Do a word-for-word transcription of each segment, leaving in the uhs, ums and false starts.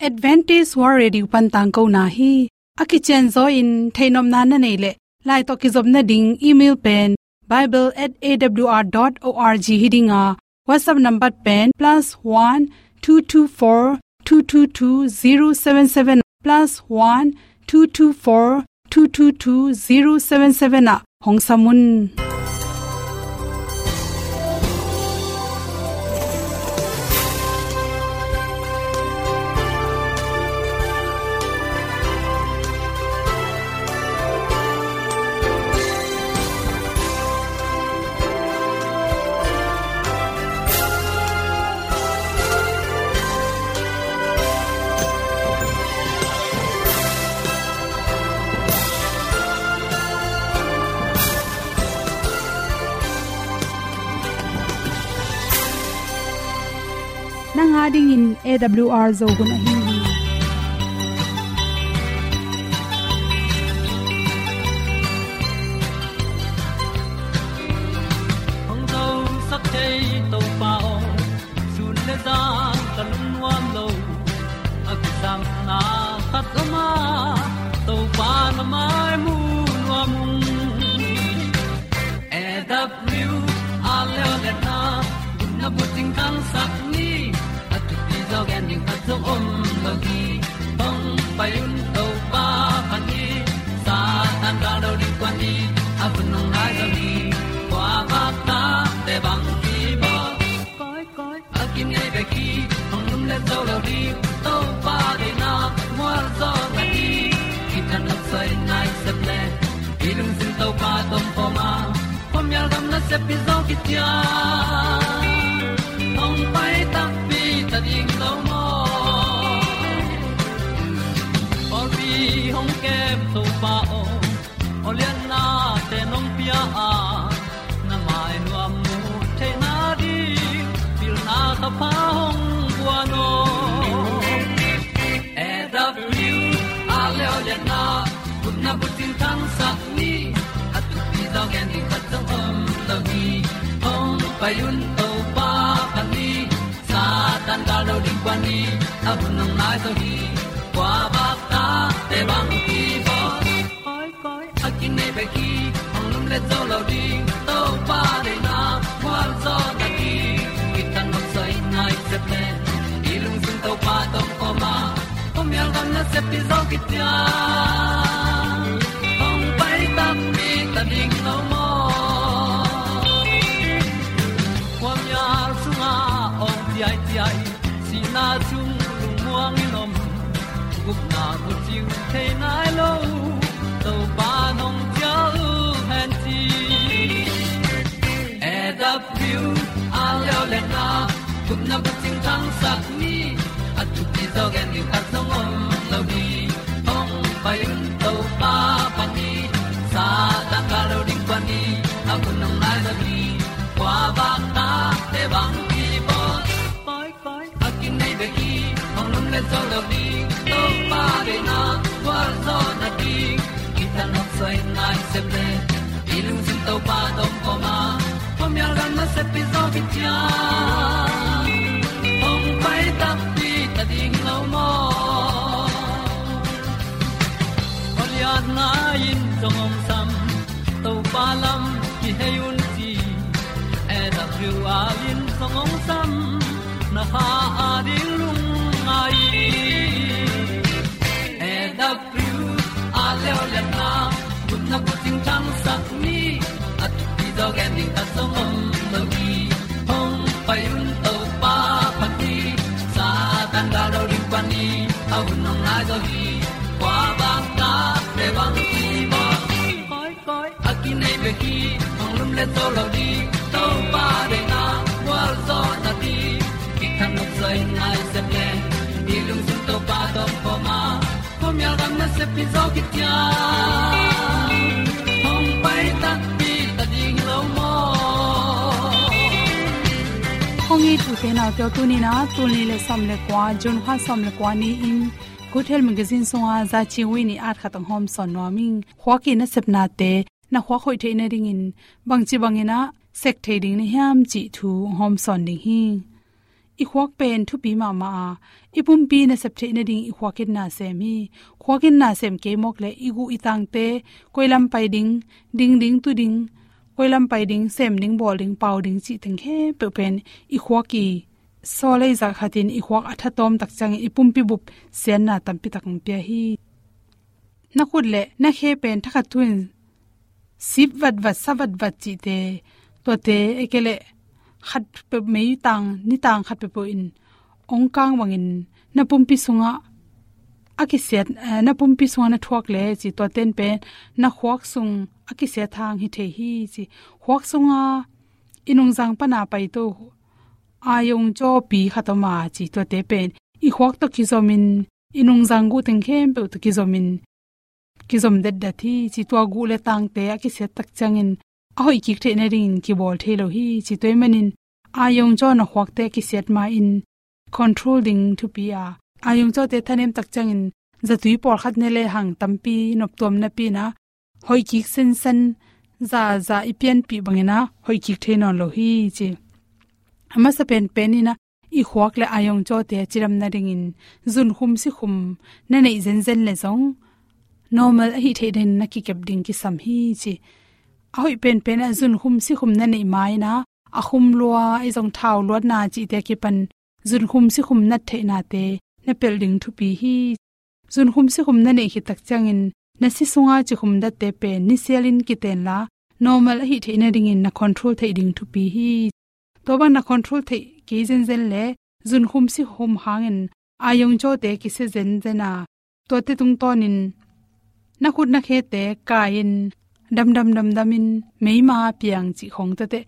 Adventist World Radio pan tangkona hi. A kicianzaw in theihnopna na neih leh, lai tawh kizopna ding email pen bible at A W R dot org hi ding a, WhatsApp number pen plus one two two four two two two zero seven seven, plus one two two four two two two zero seven seven ah hong sam un. Nang a dingin A W R Zo hun ahi hi. Hong zosak thei Topa aw, sun le zan ka lungnuam lo. A kisapna khat om a, Topa na mai mu nuam ung. A W R Zo hun a, gupna bucing thangsak ni. A thupi zaw gen ding khat zong om lo hi. Hong pai un Topa pha ni. Satan gal do ding kua ni. A hun hong nai zaw ni. Kua bak ta te bang ki bawl. Koi, koi. A kinei bek hi, hong lum le zo lo ding, Topa deihna mual zaw na hi. Kitang nok soi nai sep le, i lungsim Topa tawh om a, khuamial gam nasep hi zaw kician. Hong pai takpi ta ding lo maw. Pawlpi hong kem Topa aw, aw liannate nong pia a, na mai nuam mu theihna ding, pilna ka pha hong guan aw. A W R Zo hun a, gupna bucing thangsak ni. A thupi zaw gen ding khat zong om lo hi. Hong pai un Topa pha ni. Satan gal do ding kua ni. A hun hong nai zaw hi. Kua bak ta te bang ki bawl. Koi, koi. A kinei bek hi, hong lum le zo lo ding, Topa deihna mual zaw na hi. Kitang nok soi nai sep le, i lungsim Topa tawh om a, khuamial gam nasep hi zaw kician. Hong pai takpi ta ding lo maw. Khuamial sungah awng ciaiciai, sihna sung lungmuang in om, gupna bucing thei nai lo, Topa nong cial hen ci. A W R Zo hun a, gupna bucing thangsak ni. A thupi zaw gen ding khat zong om lo hi. Hong pai un Topa pha ni. Satan gal do ding kua ni. A hun hong nai zaw hi. Kua bak ta te bang ki bawl. Koi, koi. A kinei bek hi, hong lum le zo lo ding, Topa deihna mual zaw na hi. Kitang nok soi nai sep le, i lungsim Topa tawh om a, khuamial gam nasep hi zaw kician. Hong pai takpi ta ding lo maw. Aw liatna in zong hong sam, Topa lam kihei un ci. A W R in zong hong sam, na kha a ding lungngai. A W R Zo hun a, gupna bucing thangsak ni. A thupi zaw gen ding khat zong om lo hi. Hong pai un Topa pha ni. Satan gal do ding kua ni. A hun hong nai zaw hi. Kua bak ta te bang ki bawl. Koi, koi. A kinei bek hi, hong lum le zo lo ding, Topa deihna mual zaw na hi. Kitang nok soi nai sep le, i lungsim Topa tawh om a, khuamial gam nasep hi zaw kician. Hong pai takpi ta ding lo maw. Hong it u te nau te aw, tuni in a, tul nih le sawm le kua, June kha sawm le kua ni-in, Good Health Magazine sunga Za Ching Wi in at khat hong hawmsawn nuam ing. Khua ki nasepnate na khuak hoih theih nadingin bangci bangin a sek thei ding na hiam cih thu hong hawmsawn ding hi. i khuak pen thupi mahmah a, i pumpi nasep theih nading i khuak in na sem hi. Khuak in na sem kei mawk leh i guh i tangte, koi lam pai ding, ding ding tu ding, koi lam pai ding, sem ding, bawl ding, pau ding cih teng khempeuh pen i khuak i sawlei zah khatin i khuak a thatawm tak ciangin i pumpi bup siatna tampi tak hong pia hi. Na khut leh na khe pen thakhat thu-in sip vatvat, sa vatvat cihte, tuate, ei kei leh khat peuh, mei tang, ni tang khat peuhpeuh in hong kang bangin na pumpi sungah a kisiat, eh, na pumpi sungah na thuak leh ci, tuate in pen na khuak sung a kisiat hang hi thei hi ci. Khuak sunga i nungzang pana paito, iron cawpi khat om a ci, tuate pen i khuak tawh kizomin, i nungzang guh teng khempeuh tawh kizomin, kizom detdet hi ci. Tua guh leh tangte a kisiat tak ciangin a hoih kik theih nadingin kibawl thei lo hi ci. Tua ahih manin iron caw na khuakte a kisiat ma-in control ding thupi a, iron cawte thanem tak ciangin zatui pawlkhat ne lehang tampi noptuam napi-in a hoih kik sensen, zaza i pianpih bangin a hoih kik thei nawn lo hi ci. A masa penpen in a, i khuak leh iron cawte a cidam nadingin zunkhum sikhum na neih zenzen leh zong normal ahih theih nadingin na kikep ding kisam hi ci. A hoih penpen a zunkhum sikhum na neih ma-in a, a khum lua, ei zong thau luatna cihte kipan zunkhum sikhum nat theihnate na pelh ding thupi hi. Zunkhum sikhum na neih khit tak ciangin na si sunga cikhum datte pen nisialin kiten la, normal ahih theih nadingin na control theih ding thupi hi. Tua bang na control theih kei zenzen leh zunkhum sikhum hangin iron cawte kisia zenzen a, tuate tungtawnin na khut na khete kai-in damdam damdamin meima piang cih khawng tuate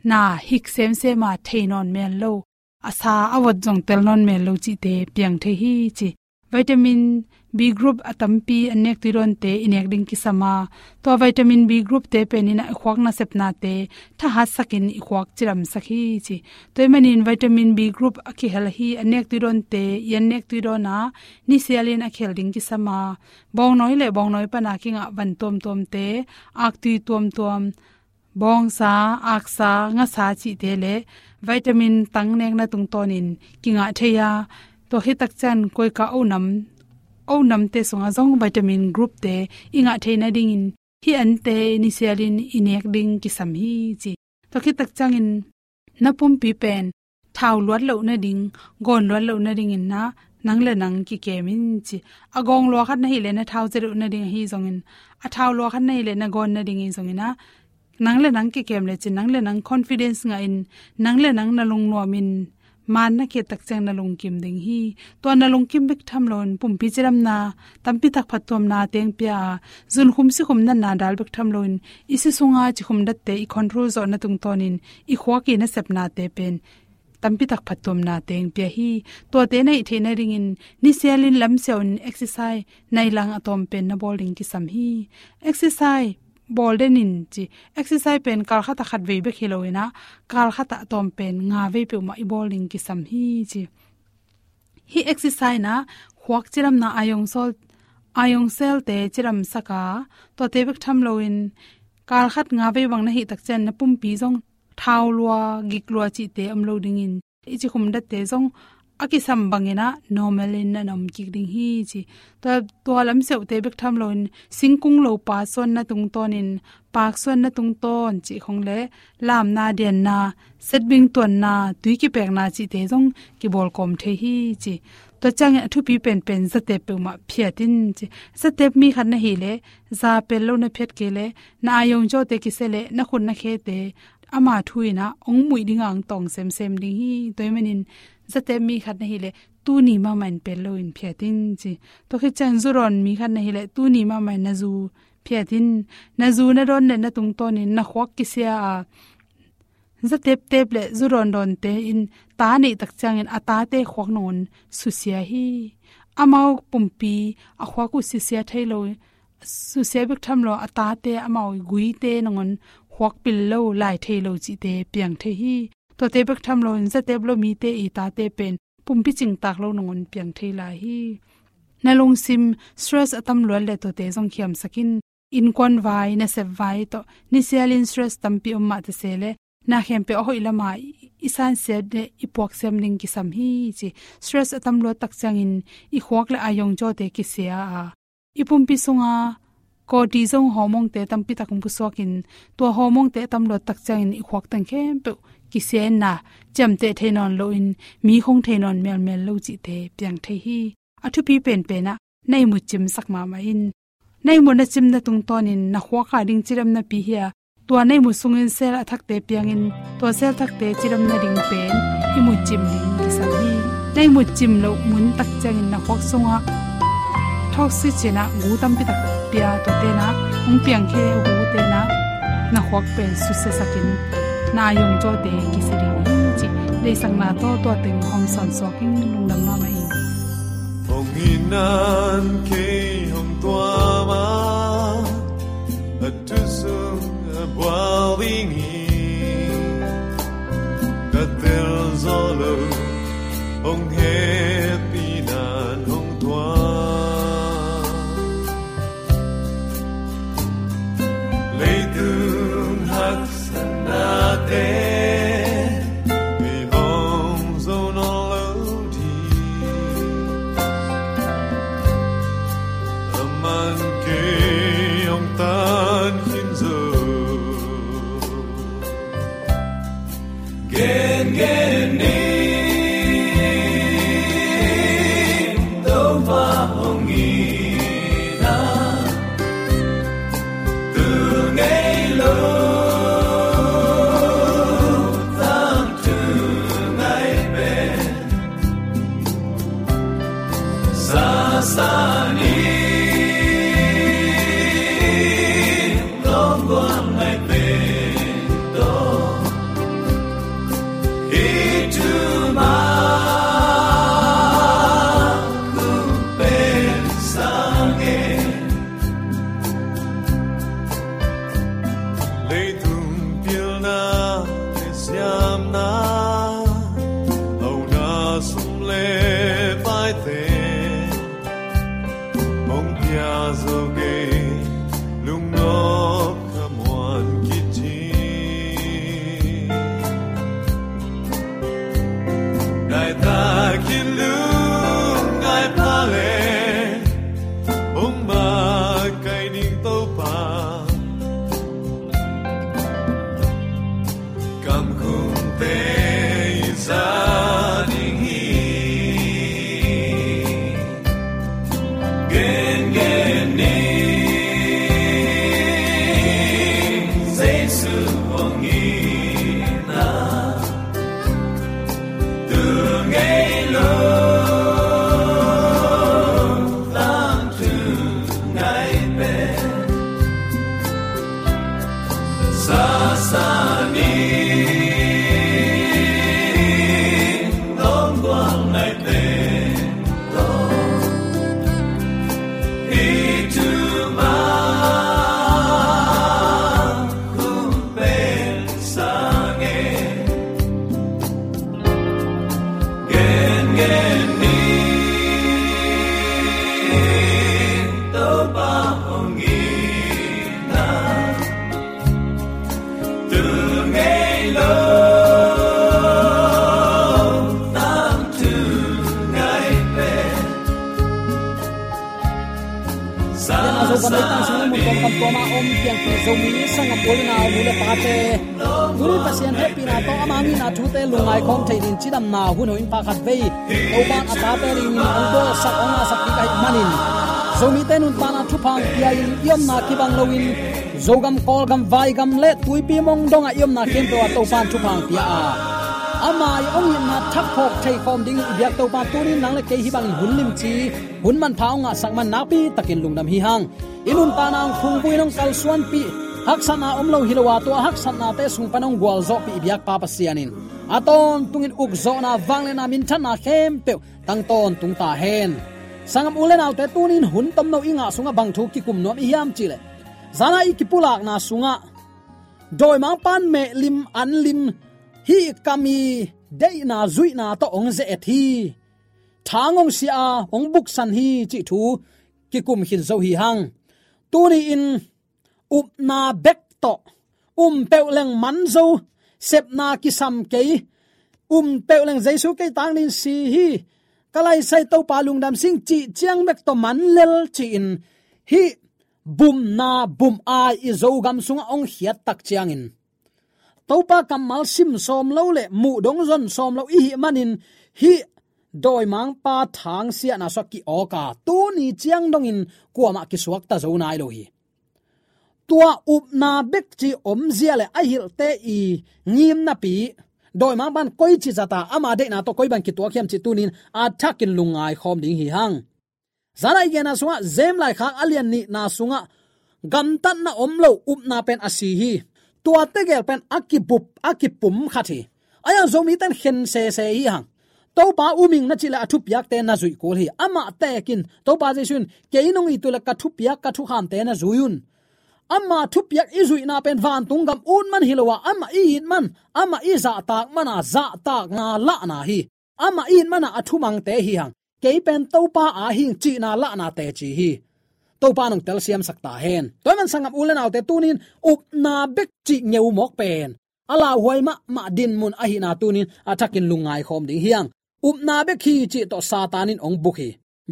na hik semsem a, thei nawn mel lo, a sa a vot zong tel nawn mel lo cihte piang thei hi ci. Vitamin B group a tampi an nek tui dawnte i nek ding kisam a, tua vitamin B group te pen in a i khuak nasepnate thahatsakin i khuak cidamsak hi ci. Tua ahih manin vitamin B group a kihel hi, an nek tui dawnte i an nek tui dawn a, nisialin a kihel ding kisam a, bawngnawi leh bawngnawi pana kingah van tuamtuamte, aktui tuamtuam, bawngsa, aksa, ngasa cihte leh vitamin tang nekna tungtawnin kingah thei a, tua khit tak ciang koika onam, onamte sungah zong vitamin group te i ngah theih nadingin hih ante nisialin i nek ding kisam hi ci. Tua khit tak ciangin na pumpi pen thau luat loh nading, gawn luat loh nadingin a, nang leh nang kikem in ci. A gawng lua khat na hih leh na thau zia loh nading ahi zongin, a thau lua khat na hih leh na gawn nading ahi zongin a, nang leh nang kikem lecin, nang leh nang confidence ngahin, nang leh nang na lungnuamin, maan na khiat tak ciang na lungkim ding hi. Tua na lungkim bek tham loin pumpi cidamna tampi tak phattuamna teng pia a, zunkhum sikhum natna dal bek tham loin i si sunga cikhum datte i control zawhna tungtawnin i khuak i nasepnate pen tampi tak phattuamna teng pia hi. Tuate na hih theih nadingin nisialin lamsiau in exercise nai lang a tawm pen na bawl ding kisam hi. Exercise bawl den in ci. Exercise pen kal khat ah khat vei bek hi loin a, kal khat ah a tawm pen nga vei peuhmah i bawl ding kisam hi ci. Hih exercise in a khuak cidamna, iron cell, iron cell te cidamsak a, tuate bek tham loin kal khat nga vei bang na hih tak ciang na pumpi zong thau lua, gik lua cihte om lo dingin, i cikhum datte zong a kisam bangin a normal in na na om kik ding hi ci. Tua, tua lamsiaute bek tham loin singkung lopa suanna tungtawnin, paak suanna tungtawn cih khawng leh lamna, dianna, setbing tuanna, tui kipekna cihte zong kibawlkawm thei hi ci. Tua ciangin a thupi penpen zatep peuhmah phiat in ci. Zatep mi khat na hih leh, za pel lo na phiat kei leh, na iron cawte kisia leh na khut na khete ama thu in a hong muih ding a hong tawng semsem ding hi. Tua ahih manin zatep mi khat na hih leh tuni mahmah in pel loin phiat in ci. Tua khit ciang zudawn mi khat na hih leh tuni mahmah in na zu phiat in. Na zu na dawn leh na tungtawnin na khuak kisia a, zateptep leh zudawndawnte in ta neih tak ciangin a tate khuak nangawn susia hi. Amau pumpi a khuak uh susia thei lo, susia bek tham lo, a tate amau guite nangawn khuak pil lo, lai thei lo cihte piang thei hi. Tuate bek tham loin zatep lo mite i tate pen pumpi cingtak lo nangawn piang thei lai hi. Na lungsim stress a tam luat leh tuate zong khiamsak in. Innkuan vai, nasep vai tawh nisialin stress tampi om mah ta se leh, na khempeuh a hoih lama i, i sansiat le i puaksiam ding kisam hi ci. Stress a tam luat tak ciangin i khuak le a yongcawte kisia a, i pumpi sunga cortisol hormone-te tampi tak hong pusuakin, tua hormone-te a tam luat tak ciangin i khuak teng khempeuh kisia in na, ciamteh thei nawn loin, mi khong thei nawn melmel lo cihte piang thei hi. A thupi penpen ah na ihmut cimsak mahmah in. Na ihmut na cimna tungtawnin na khuak a ding cidamnapi hi a, tua na ihmut sungin cell a thakte piangin, tua cell thakte cidamna ding pen ihmut cim ding kisam hi. Na ihmut cim loh mun tak ciangin na khuak sungah toxin cih na gu tampi tak pia, tuate na hong piangkhia gute na, na khuak pen susiasakin na a yongcawte kisia ding hi ci. Deihsakna tawh tua teng hong sawnsuak in, lungdam mahmah in. Hong itna in kei hong tuam a, a thu sung a bual ding hi. Ka tel zo lo, hong hehpihna in hong tuam. Leitung haksatnate, kei hong zo nawn lo ding. Aman kei hong tan khin zo. Gengen ni, Topa hong itna, tu ngei lo, tangthu ngai pen. Sasa ni, longguang ngai pen tawh, hih thu mah hong pen sa ngen. Leitung pilna le siamna, hauna sum le paite, hong pia zo kei, lungnop ka muan khit hi. Nai takin lungngai pha le, hong makaih ning Topa. Kamkhumte i za ding hi. Gengen ni, Jesu hong itna, tu ngei lo, tangthu ngai pen. Sasa ni, longguang ngai pen tawh, hih thu mah hong pen sa ngen. Gengen ni, Topa hong itna, tu ngei lo, tangthu ngai pen. Sasa ni, Zogam leitang sung mun tawng kam tuam a om piangthak Zomi sanggam u le nau, nu le pate, tuni Pasian hehpihna tawh ama ngimna thute lungngai khawm thei dingin cidamna hun hoih in pha khat vei Topa'n a tate dingin hong bawlsak, hong ngahsak kik ahih manin, Zomite nuntakna thupha hong pia-in i omna kibang loin, Zogam, Kawlgam, Vaigam le Tuipi Mong dongah i omna khempeuh ah Topa'n thupha hong pia a, ama i hong itna thak phawk thei khawm dingin i biak Topa tuni-in nang le kei hih bangin hun limci, hun manpha hong ngahsak man nakpi takin lungdam hi hang. I nuntakna hong phungvuh in hong kalsuanpih, haksatna om lo hi lo a, tua haksatnate sung pan hong gualzawhpih i biakpa Pasian in a tawntungin ukzawhna, vangliatna, minthanna khempeuh tang tawntung ta hen. Sanggam u le naute, tuni-in hun tomno i ngah sungah bang thu kikum nuam i hiam cih leh, zan a i kipulakna sungah dawimangpa'n mehlim, anlim, hih kam i deihna, zuihna tawh hong ze-et hi. Thang hong sia a, hong buksan hi cih thu kikum khin zo hi hang. Tuni-in upna bek tawh, um peuh leng man zo, sepna kisam kei, um peuh leng Jesu kei tang dingin si hi, ka laisai Topa lungdam sing cih ciang bek tawh man lel ci-in hih bumna bum-ai i Zogam sungah hong khiat tak ciangin Topa kammal sim sawm lo le muh dong zon sawm lo i hih manin hih dawimangpa thangsiahna sua ki-awk a tuni ciang dongin kuamah kisuakta zo nai lo hi. Tua upna bek ci omzia le a hilhte i ngimnapi dawimangpan koici zata ama deihna tawh koi bang kituak hiam cih tunin a thakin lungngai khawm ding hi hang. Zana i genna sungah James laikhak a lian nihna sungah gamtatna om lo upna pen a si hi. Tua tegel pen a kibup a kipum khat hi. A yang Zomite in khen sese hi hang. Topa um ing na cih le a thupiakte na zuih kul hi. Amah tekin Topa Jesu in kei nong it uh le ka thupiak ka thukhamte na zui un. Ama thupiak i zuihna pen vantung gam ut man hi lo a, amah i it man, amah i zahtak man a, zahtakna lahna hi. Amah i it man a a thumangte hi hang. Kei pen Topa a hing cihna lahna teci hi. Topa nong telsiamsak ta hen. Tua man sanggam u le naute tunin upna bek cih ngeu mawk pen a lauhuai mahmah dinmun ahihna tunin a thakin lungngai khawm ding hi hang. Upna bek hi cih tawh Satan in hong buk hi.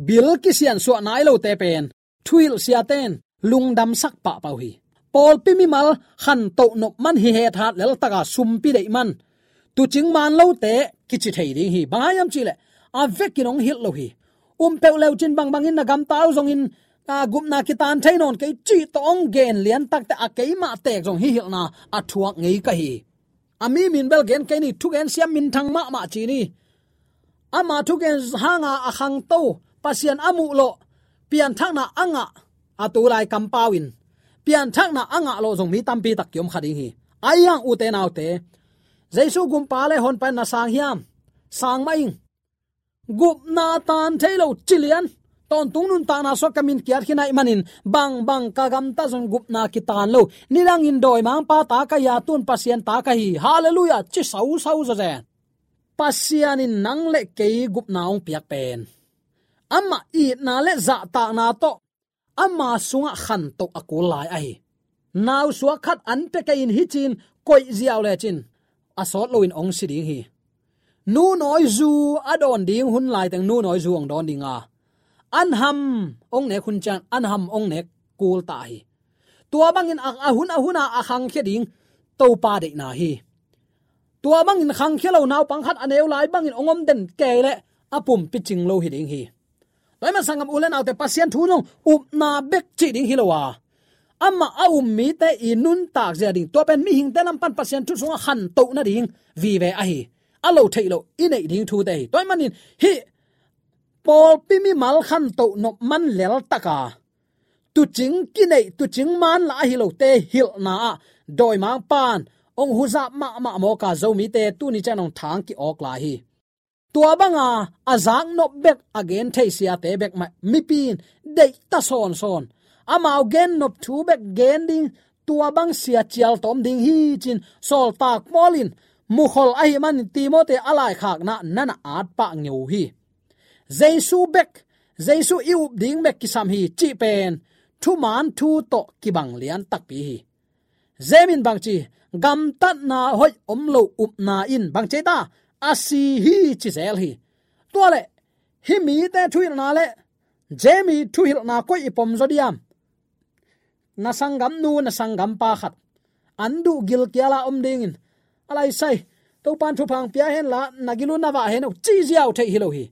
Bil kisiansuah nai lote pen thuhilh siate in lungdamsak pahpah uh hi. Pawlpi mimal khantoh nop man hi hethat leltaka sumpi deih man tuucing man lote kici thei ding hi. Bang hang hiam cih leh a vekin hong hilh lo hi. Um peuh leucin bangbangin na gamta uh zongin a gupna kitan thei nawn kei cih tawh hong gen liantakte a keimah teek zong hih hilhna a thuak ngei ka hi. A mi min bel gen kei ni, thugen siam minthang mahmah ci ni. Ama thugen hanga a khangto Pasian a muh lawh pianthakna a ngah a tulai kampau in pianthakna a ngah lawh zong mi tampi tak kiom kha ding hi. Ahi hang ute naute, Jesu gumpa le honpa in na sang hiam? Sang mah ing. Gupna tan thei lo ci lian. Tawntung nuntakna sua ka min kiat khin ahih manin bangbang ka gamta zong gupna kitan lo. Nidangin dawimangpa ta ka hi a, tun Pasian ta ka hi. Halleluiah ci sausau zawzen. Pasian in nang le kei gupna hong piak pen amah itna le zahtakna tawh ama sungah khantoh a kul lai ahi. Nausuak khat an pia kei in hicin koih ziau lecin a sawt loin hong si ding hi. Nu nawizu a dawn ding hun laiteng nu nawizu hong dawn ding a, an ham hong nek hun ciang an ham hong nek kul ta hi. Tua bangin a, a hun a huna a khangkhia ding Topa deihna hi. Tua bangin khangkhia lo naupang khat a neu lai bangin hong om den kei leh a pumpi cing lo hi ding hi. Tua ahih man sanggam u le naute, Pasian thu zong upna bek cih ding hi lo a, amah a um mite i nuntak zia ding, tua pen mihingte lam pan Pasian thu sungah khantoh nading vive ahi. A lo theih loh i neih ding thute hi. Tua ahih manin hih pawlpi mimal khantoh nop man leltaka tuucing kineih, tuucing man lah ahi lote hilhna ah dawimangpan hong huzap mahmah mawka Zomite tuni ciang hong thang ki-awk lai hi. Tua banga a zaknop bek a gen thei siate bek mah mipi in deihta sawnsawn. Amau gennop thu bek gen ding, tua bang sia cial tawm ding hi cin sawltak Paul in mukhol ahih manin Timote a laikhakna na na at pah ngeu hi. Jesu bek, Jesu i up ding bek kisam hi cih pen thuman thu tawh kibang lian takpi hi. James in bangci, gamtatna hoih om lo upna in bangci ta a si hi ci zel hi. Tua leh hih mite thuhilhna le James i thuhilhna koi i pom zaw diam? Na sanggamnu, na sanggampa khat an duh gilkiala om dingin a laisai, Topan thupha hong pia henla na gil uh na vah hen uh ci ziau theih hi lo hi.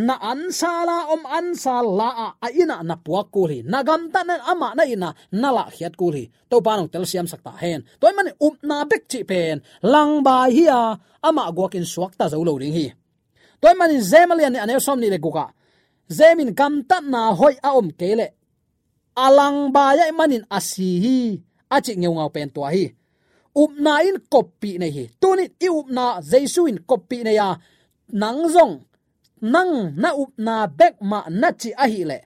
Na ansala om ansal la ah a innah na puak kul hi. Na gamtatna in amah na innah na lahkhiat kul hi. Topa nong telsiamsak ta hen. Tua ahih manin upna bek cih pen langbai hi a, amah guakin suakta zo lo ding hi. Tua ahih manin James a lian nih a neu sawm nih le gukah James in gamtatna hoih a om kei leh a langbai ahih manin a si hi a cih ngeungau pen tua hi. Upna in koppih nei hi. Tunin i upna Jesu in koppih nei a, nang zong nang na upna bek mah na cih ahih leh,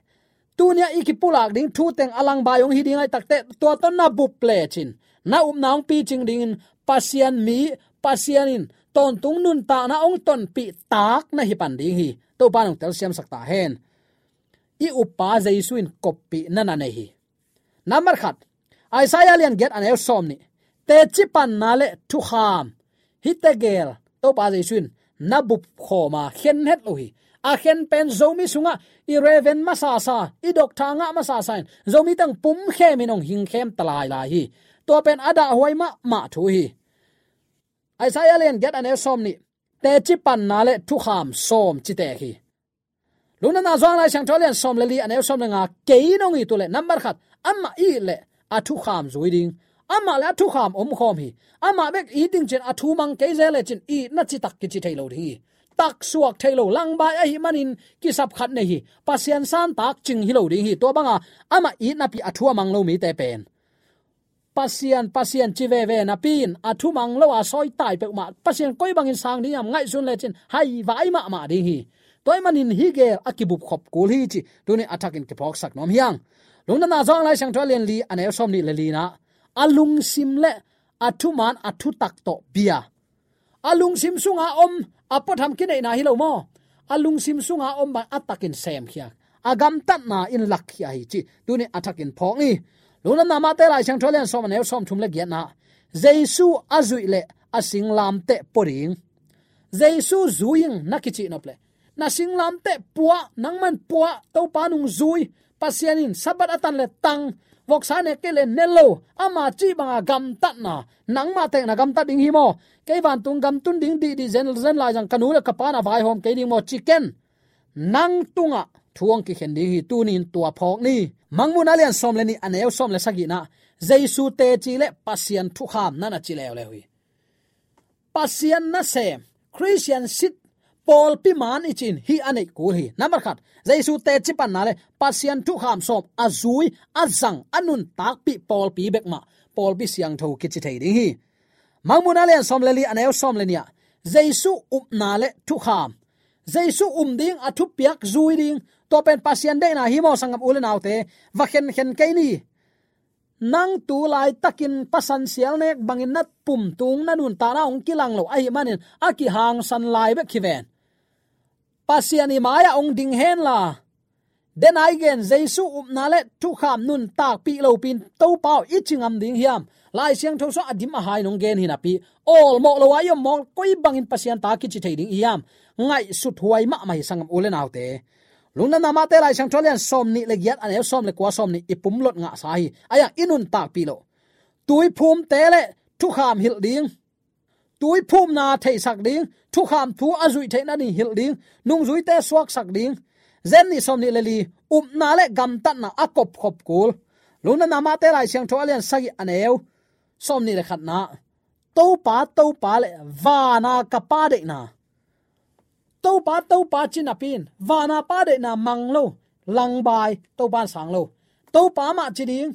tunia i kipulak ding thu teng a langbai hong hi ding ahih takteh tua tawh na bup lecin na upna hong picing dingin Pasian mi, Pasian in tawntung nuntakna hong tonpih tak na hi pan ding hi. Topa nong telsiamsak ta hen. I uppa Jesu in koppih na na nei hi. Nambat khat, Isaiah lian giat a neu sawm nih, teci panna le thukham, hih tegel Topa Jesu in na bupkhawm a khen het lo hi. A khen pen Zomi sungah i Reverend masasa, i Doctor ngah masasa in Zomi teng pumkhem in hong hingkhem ta lailai hi. Tua pen a dahhuai mahmah thu hi. Isaiah lian giat a neu sawm nih, teci panna le thukham sawm ci tek hi. Lungdamna Johan Lai Siangtho lian sawm le li a neu sawm le nga, kei nong it uh leh nambat khat, amah it leh a thukham zui ding. Amah le a thukham omkhawm hi. Amah bek it ding cin a thu mang kei zel lecin itna citak kici thei lo ding hi. Taksuak thei lo, langbai ahih manin kisap khat nei hi. Pasian santak cing hi lo ding hi. Tua banga amah it napi a thu a mang lo mite pen Pasian, Pasian ci veve napi in a thu mang lo a sawitai peuhmah, Pasian koi bangin sang ding hiam ngaihsun lecin haivai mahmah ding hi. Tua ahih manin hih gel a kibupkhop kul hi cih tuni a thakin kiphawksak nuam hi hang. Lungdamna Johan Lai Siangtho a lian li a neu sawm nih le li-na, a lungsim le a thuman a thutak tawh bia. A lungsim sunga om, a puatham kineihna hi lo maw? A lungsim sunga om bang a takin semkhia, a gamtatna in lakkhia hi cih tuni a thakin phawk ni. Lungdamna Mate Lai Siangtho lian sawm a neu sawm thum le giatna, Jesu a zuih leh a singlamteh pua ding. Jesu zui ing na kicih nop leh, na singlamteh pua, nangman pua, Topa nung zui. Pasian in Sabbath a tan le tang, voksa nek kei le ne lo, ama cih banga gamtatna, nangmah tek na gamtat ding hi maw? Kei vantung gam tun ding dihdih zen, zen lai zang ka nu le ka pa na vaihawm kei ding maw ci ken. Nang tungah thu hong kikhen ding hi, tuni in tua phawk ni. Mangmuhna lian sawm le nih a neu sawm le sagihna, Jesu teci le Pasian thukham na na ci leuleu hi. Pasian nasem, Christian sit, pawlpi man i cih in hih a neih kul hi. Nambat khat, Jesu teci panna le Pasian thukham sawm a zui, a zang, a nuntakpih pawlpi bek mah pawlpi siangtho kici thei ding hi. Mangmuhna lian sawm le li a neu sawm le nih ah, Jesu upna le thukham. Jesu um ding, a thupiak zui ding. Tua pen Pasian deihna hi maw sanggam u le naute? Va khenkhen kei ni. Nang tu laitakin pasan sial nek bangin na pumtung, na nuntakna hong kilang lo ahih manin a kihangsan lai bek hi ven. Pasian i mai-ah hong ding hen la. Denai gen, Jesu upna le thukham nuntakpih lopi-in Topa aw i ci ngam ding hiam? Lai Siangtho sungah a dim a hai nong gen hi napi, awlmawh lo a i om maw, koi bangin Pasian ta kici thei ding i hiam? Ngaihsut huai mahmah hi sanggam u le naute. Lungdamna Mate Lai Siangtho lian sawm nih le giat a neu sawm le kua, sawm nih i pumlot ngahsa hi. Ahi hang i nuntakpih loh, tuiphumte le thukham hilh ding, tuiphumna theisak ding, thukham thu a zuih theihna ding hilh ding, nungzuite suaksak ding. Zen nih sawm nih le li, upna le gamtatna a kopkhop kul. Lungdamna Mate Lai Siangtho a lian sagih a neu sawm nih le khatna, Topa, Topa le vana ka Pa deihna. Topa, Topa ci napi-in vana Pa deihna mang lo, langbai, Topa in sang lo. Topa mah ci ding,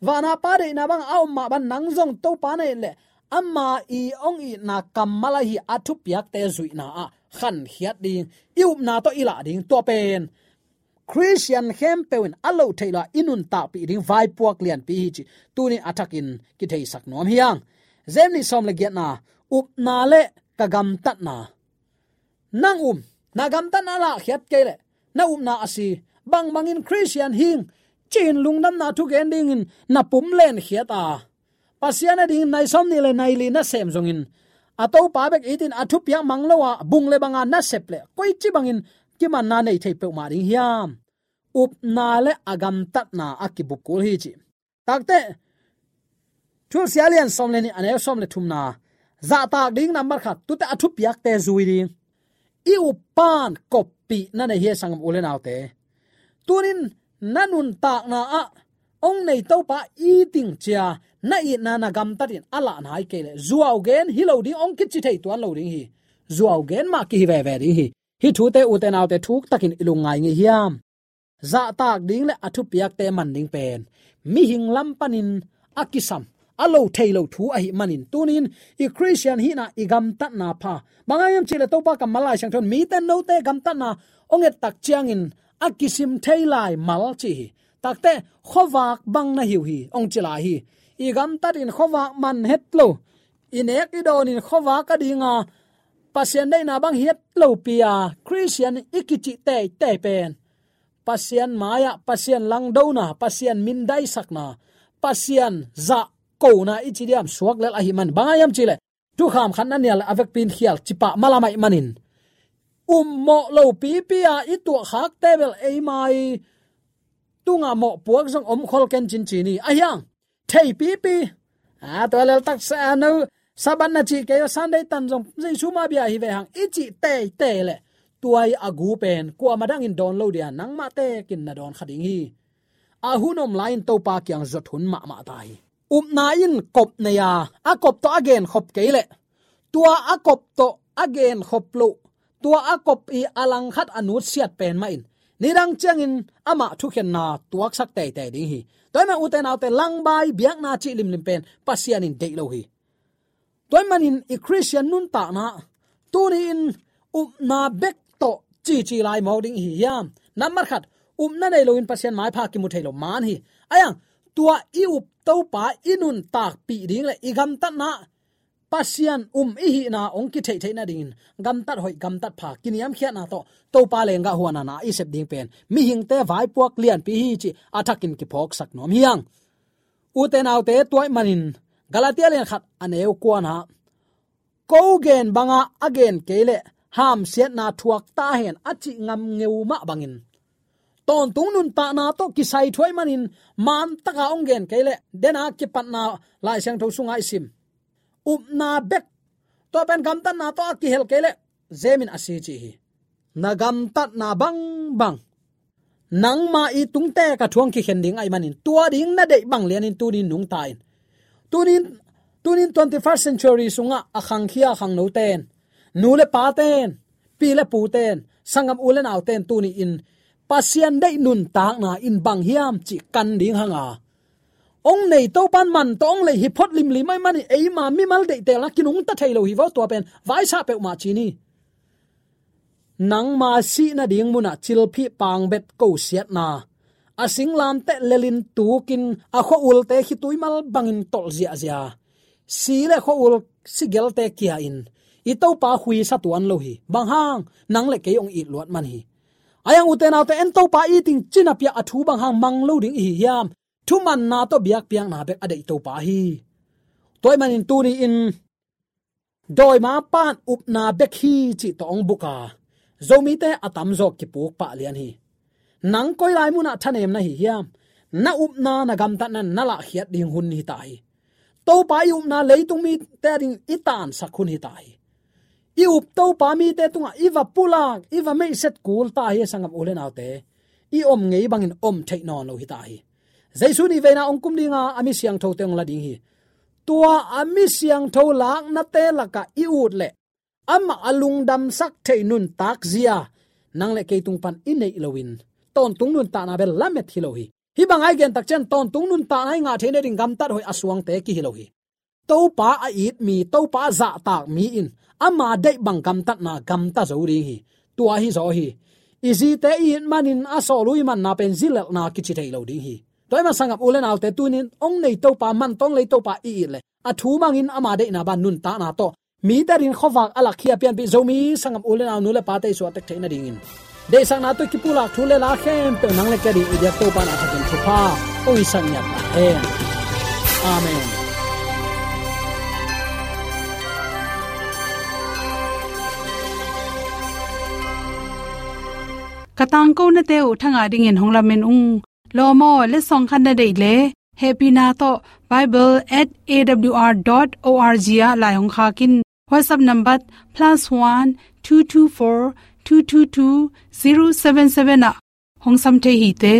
vana Pa deihna bang a om mah bang nang zong Topa na it leh ama i hong itna kammal ahi a thupiakte zuihna ah khankhiat ding, i upna tawh i lah ding. Tua pen Khristian khempeuh in a loh theih lo-a i nuntakpih ding vaipuak lianpi hi cih tuni a thakin kitheisak nuam hi hang. Zen nih sawm le giatna, upna le ka gamtatna. Nang um, na gamtatna lahkhiat kei leh na upna a si. Bangbangin Khristian hing ci-in lungdamna thugen dingin na pum lenkhiat a, Pasian a dingin nai sawm nih le nai li nasem zongin a Topa bek itin a thupiak mang lo-a bung le banga nasep leh koici bangin kimanna nei thei peuhmah ding hiam? Upna le a gamtatna a kibup kul hi cih. Takte, Thusia lian sawm le nih a neu sawm le thumna, zahtak ding nambat khat, tute a thupiakte zui ding. I uppan koppih na nei hi a, sanggam u le naute. Tunin na nuntakna ah hong nei Topa i ting cia, na itna na gamtatin a lah nai kei leh zuau gen hi lo ding, hong kici thei tuan lo ding hi. Zuau gen mah kihi veve ding hi. Hih thute ute naute thuktakin i lungngai ngei hiam? Zahtak ding le a thupiakte man ding pen mihing lam panin a kisam, a lo thei lo thu ahih manin tunin i Khristian hihna, i gamtatna pha. Bang hang hiam cih leh Topa kammal Lai Siangtho in mite note gamtatna hong et tak ciangin a kisim thei lai mal ci hi. Takte, khuavak bang na hi uh hi hong ci lai hi. I gamtatin khuavak man het lo, i nek i dawnin khuavak a dinga Pasian deihna bang hi het lopi-a Khristian i kicih teitei pen Pasian mai-ah Pasian langdona, Pasian mindaisakna, Pasian zahkona i ci diam suak lel ahih man. Bang hang hiam cih leh thukham khat na nial a vekpi in khial cipah malam ahih manin, ummawh lopipi a i tuahkhakte bel eima i tungah mawhpuak zong om khol ken cin ci ni. Ahi hang theipipi, a, tua lel taksa, a, no, Sabbath na cih kei, Sunday tan zong Jesu mah bia hi ve hang i cih teitei leh, tua i a gu pen kuamah dangin dawn lo dia, nangmah tekin na dawn kha ding hi. A hun om lai-in Topa kiang zuat hun mahmah ta hi. Upna in kop nei a, a kop tawh a genkhop kei leh, tua a kop tawh a genkhop loh, tua a kop i a langkhat a nutsiat pen mah in nidang ciangin amah thukhenna tuaksak teitei ding hi. Tua ahih manin ute naute, langbai biakna cih limlim pen Pasian in deih lo hi. Tua ahih manin i Khristian nuntakna, tuni-in upna bek tawh cici lai mawk ding i hi hiam? Nambat khat, upna nei loin Pasian maipha kimu thei lo man hi. Ahi hang tua i up Topa i nuntakpih ding leh i gamtatna Pasian um i hihna hong kitheihtheih nadingin gamtat hoih, gamtat pha, kiniamkhiatna tawh Topa leenggah huanna na i sep ding pen mihingte vaipuak lianpi hi cih a thakin kiphawksak nuam hi hang. Ute naute, tua ahih manin Galatia lian khat a neu kuana, ko gen banga a gen kei leh hamsiatna thuak ta hen a cih ngam ngeu mah bangin, tawntung nuntakna tawh kisai thu ahih manin mantaka hong gen kei leh, dena kipatna Lai Siangtho sunga i sim, upna bek, tua pen gamtatna tawh a kihel kei leh, zemin a si ci hi. Na gamtatna bangbang nangma i tungte ka thuang kikhen ding ahih manin, tua ding na deih bang lianin tuni nungta in. Tuni-in, tuni-in twenty-first century sungah a khangkhia khangnoten, nu le paten, pi le puten, sanggam u le nauten tuni-in Pasian deih nuntakna in bang hiam cih kan ding hang a, hong nei Topa in man tawh hong lei hi phot limlim ahih manin eima mimal deihtelna kinungta thei lo hi vo, tua pen vaisah peuhmah ci ni. Nangma sih nading munah cilphih pangbet kosiatna, a singlamteh lelin tukin a khua-ulte khitui mal bangin tolh ziahziah, si le khua-ul sigelte kia-in i Topa khuisa tuan lo hi. Bang hang? Nang le kei hong it luat man hi. Ahi hang ute naute, en Topa i it ding cih napi-a a thu bang hang mang lo ding i hi hiam? Thumanna tawh biakpiakna bek a deih Topa hi. Tua ahih manin tuni-in dawima pan upna bek hi cih tawh hong buk a, Zomite a tamzaw kipuk pah lian hi. Nang koi lai munah thanem na hi hiam? Na upna, na gamtatna in na lahkhiat ding hun hi ta hi. Topa i upna leitung mite ading i tansak hun hi ta hi. I up Topa mite tungah i va pulak, i va meihset kul ta hi, sanggam u le naute. I om ngei bangin om theih nawn lo hi ta hi. Jesu nihveina hong kum dinga a mi siangthote hong la ding hi. Tua a mi siangtho laknate lakah i ut leh, amah a lungdamsak thei nuntak zia nang le kei tung pan i neih loin, tawntung nuntakna bel lamet hi lo hi. Hih banga i gen tak ciang tawntung nuntakna i ngah theih nading gamtat hoih a suangte kihi lo hi. Topa a it mi, Topa a zahtak mi in ama deih bang gamtatna gamta zo ding hi. Tua hi zaw hi. I zite i it manin a sawlui manna pen zilelhna kici thei lo ding hi. Tua ahih manin sanggam u le naute, tuni-in hong nei Topa, man tawh hong lei Topa i it leh, a thu bangin ama deihna bang nuntakna tawh mite adingin khuavak a lakkhia pianpih Zomi sanggam u le nau, nu le pate i suahtek theih nadingin, deihsakna tawh i kipulak thu le la khempeuh nang le kei ading i biak Topa in a thakin thupha hong hisak ngiat ta hen. Amen. Ka tangkonate uh thangah dingin hong lamen ung. Lawm aw, letsong khat na deih leh, hehpihna tawh bible at A W R dot O R G ah lai hong khak in. WhatsApp number plus one two two four two two two zero seven seven ah hong sam thei hi te.